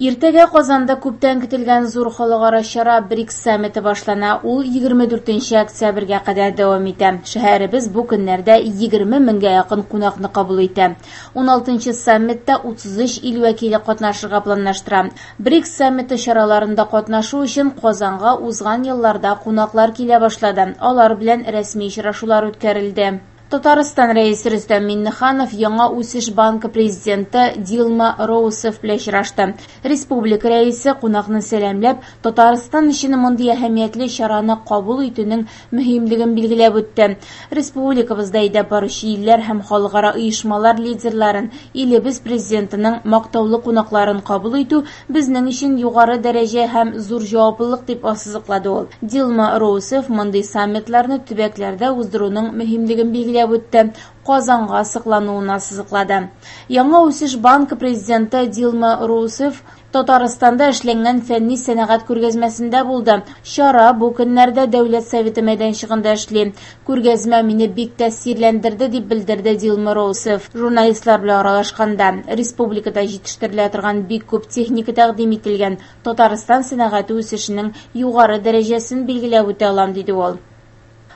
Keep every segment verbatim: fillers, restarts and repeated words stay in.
Иртәгә Казанда күптән көтелгән зур халыкара чара БРИКС саммиты башлана. Ул егерме дүртенче октябрьгә кадәр дәвам итә. Шәһәребез бу көннәрдә егерме меңгә якын кунакны кабул итә. Уналтынчы саммитта утыз өч ил вәкиле катнашырга планлаштыра. БРИКС саммиты чараларында катнашу өчен Казанга узган елларда кунаклар килә башлады. Алар белән рәсми очрашулар үткәрелде. Татарстан Рәисе Рөстәм Миңнеханов Яңа үсеш банкы президенты Дилма Роусеф белән очрашты. Республика рәисе кунакны сәламләп, Татарстан өчен мондый әһәмиятле чараны кабул итүнең мөһимлеген билгеләп үтте. Республикабызда әйдәп баручы илләр һәм халыкара оешмалар лидерларын, илебез президентының мактаулы кунакларын кабул итү безнең өчен югары дәрәҗә һәм зур җаваплылык дип ассызыклады ул. Дилма Роусеф мондый саммитларны төбәкләрдә уздыруның мөһимлеген билгеләп үтте, Казанга сыклануын ассызыклады. Яңа үсеш банкы президенты Дилма Роусеф Татарстанда эшләнгән фәнни сәнәгать күргәзмәсендә булды. Чара бу көннәрдә Дәүләт Советы мәйданчыгында эшли. Күргәзмә мине бик тәэсирләндерде, дип белдерде Дилма Роусеф. Журналистлар белән аралашканда республикада җитештерелә торган бик күп техника тәкъдим ителгән. Татарстан сәнәгате үсешенең югары дәрәҗәсен билгеләп үтә алам, диде ул.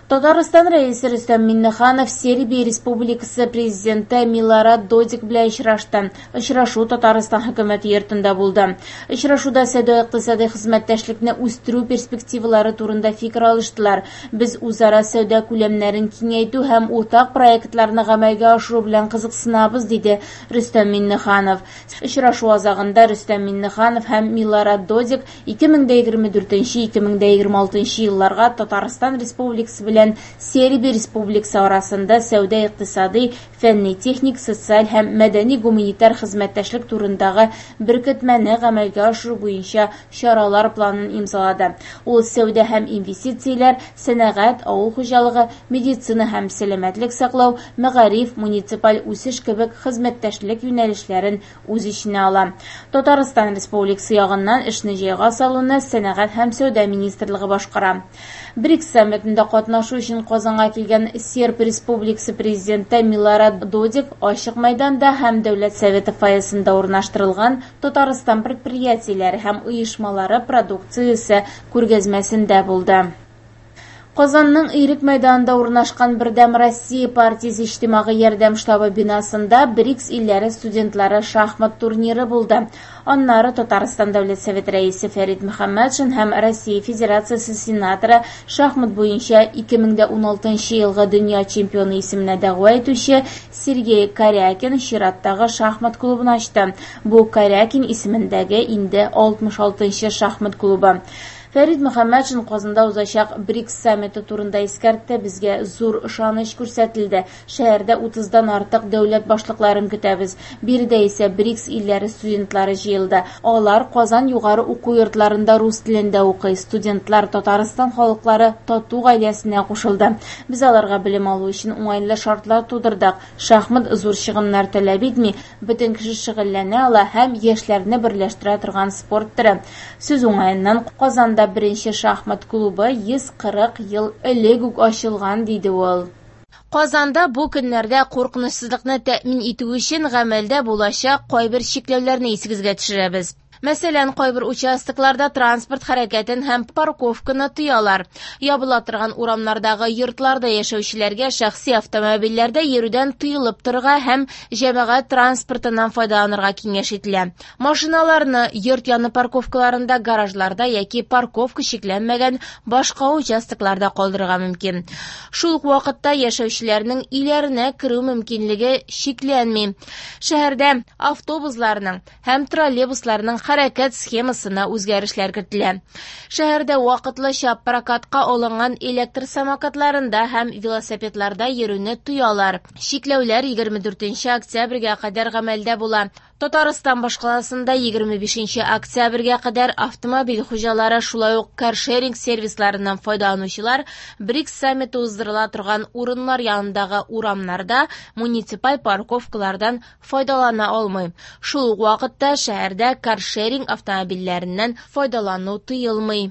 Татарстан Рәисе Рөстәм Миңнеханов Сербия Республикасы президенты Милорад Додик белән очрашты. Очрашу Татарстан хөкүмәте йортында булды. Очрашуда сәүдә-икътисади хезмәттәшлекне үстерү перспективалары турында фикер алыштылар. Без үзара сәүдә күләмнәрен киңәйтү һәм уртак проектларны гамәлгә ашыру белән кызыксынабыз, диде Рөстәм Миңнеханов. Очрашу азагында Рөстәм Миңнеханов һәм Милорад Додик ике мең дә егерме дүртенче ике мең дә егерме алтынчы елларга Татарстан Республикасы белән Сербия Республикасы арасында сәүдә-икътисади, фәнни-техник, социаль һәм мәдәни-гуманитар хезмәттәшлек турындагы беркетмәне гамәлгә ашыру буенча чаралар планын имзалады. Ул сәүдә һәм инвестицияләр, сәнәгать, авыл хуҗалыгы, медицина һәм сәламәтлек саклау, мәгариф, муниципаль үсеш кебек хезмәттәшлек юнәлешләрен үз эченә ала. Татарстан Республикасы ягыннан эшне җайга салуны Сәнәгать һәм сәүдә министрлыгы башкара. БРИКС саммитында катнашу өчен Казанга килгән Серб Республикасы президенты Милорад Додик ачык мәйданда һәм Дәүләт Советы фойесында урнаштырылган Татарстан предприятиеләре һәм оешмалары продукциясе күргәзмәсендә булды. Казанның Ирек мәйданында урнашкан Бердәм Россия партиясе иҗтимагый ярдәм штабы бинасында БРИКС илләре студентлары шахмат турниры булды. Аннары Татарстан Дәүләт Советы рәисе Фәрит Мөхәммәтшин һәм Россия Федерациясе сенаторы шахмат буенча ике мең дә уналтынчы елгы дөнья чемпионы исеменә дәгъва итүче Сергей Карякин чираттагы шахмат клубын ачты. Бу Карякин исемендәге инде алтмыш алтынчы шахмат клубы. Фәрит Мөхәммәтшин Казанда узачак БРИКС саммиты турында искәртте. Безгә зур ышаныч күрсәтелде. Шәһәрдә утыздан артык дәүләт башлыкларын көтәбез. Биредә исә БРИКС илләре студентлары җыелды. Алар Казан югары уку йортларында рус телендә укый. Студентлар Татарстан халыклары тату гаиләсенә кушылды. Без аларга белем алу өчен уңайлы шартлар тудырдык. Шахмат зур чыгымнар таләп итми, бөтен кеше шөгыльләнә ала һәм яшьләрне берләштерә торган спорт төре. Сүз уңаеннан Казанда беренче шахмат клубы йөз кырык ел элек үк ачылган, диде ул. Казанда бу көннәрдә куркынычсызлыкны тәэмин итү өчен гамәлдә булачак кайбер чикләүләрне исегезгә төшерәбез. Мәсәлән, кайбер участокларда транспорт хәрәкәтен һәм парковканы тыялар. Ябыла торган урамнардагы йортларда яшәүчеләргә шәхси автомобильләрдә йөрүдән тыелып торырга һәм җәмәгать транспортыннан файдаланырга киңәш ителә. Машиналарны йорт яны парковкаларында, гаражларда яки парковка чикләнмәгән башка участокларда калдырырга мөмкин. Шул ук вакытта яшәүчеләрнең өйләренә керү мөмкинлеге чикләнми. Шәһәрдә автобусларның һәм троллейбусларның хәрәкәт схемасына үзгәрешләр кертелә. Шәһәрдә вакытлыча прокатка алынган электр самокатларында һәм велосипедларда йөрүне тыялар. Чикләүләр егерме дүртенче октябрьгә кадәр гамәлдә була. Татарстан башкаласында егерме бишенче октябрьгә кадәр автомобиль хуҗалары, шулай ук каршеринг сервисларыннан файдаланучылар БРИКС саммиты уздырыла торган урыннар янындагы урамнарда муниципаль парковкалардан файдалана алмый. Шул ук вакытта шәһәрдә каршеринг автомобильләреннән файдалану тыелмый.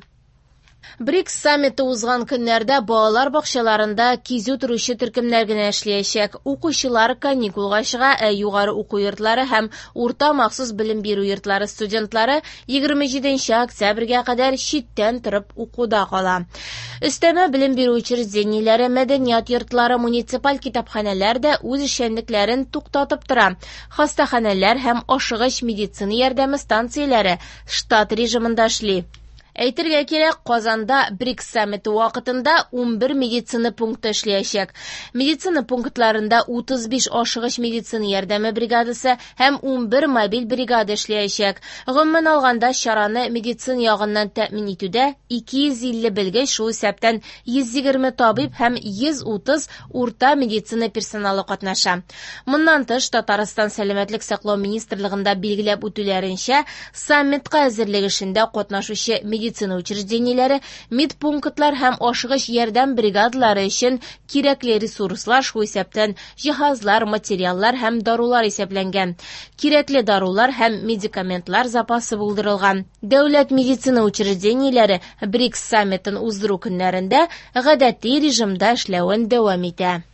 БРИКС саммиты узган көннәрдә балалар бакчаларында кизү торучы төркемнәр генә эшләячәк. Укучылар каникулга чыга, ә югары уку йортлары һәм урта махсус белем бирү йортлары студентлары егерме җиденче октябрьгә кадәр читтән торып укуда кала. Өстәмә белем бирү учреждениеләре, мәдәният йортлары, муниципаль китапханәләр дә үз эшчәнлекләрен туктатып тора. Хастаханәләр һәм ашыгыч медицина ярдәме станцияләре штат режимында эшли. Әйтергә кирәк, Казанда БРИКС саммиты вакытында унбер медицина пункты эшләячәк. Медицина пунктларында утыз биш ашыгыч медицина ярдәме бригадасы һәм унбер мобиль бригада эшләячәк. Гомумән алганда, чараны медицина ягыннан тәэмин итүдә ике йөз илле белгеч, шул исәптән йөз егерме табиб һәм йөз утыз урта медицина персоналы катнаша. Моннан тыш, Татарстан Сәламәтлек саклау министрлыгында билгеләп үтүләренчә, саммитка әзерлек эшендә катнашучы медицина медицина учреждениеләре, медпунктлар һәм ашыгыч ярдәм бригадалары өчен кирәкле ресурслар, шул исәптән җиһазлар, материаллар һәм дарулар исәпләнгән. Кирәкле дарулар һәм медикаментлар запасы булдырылган. Дәүләт медицина учреждениеләре БРИКС саммитын уздыру көннәрендә гадәти режимда эшләвен дәвам итә.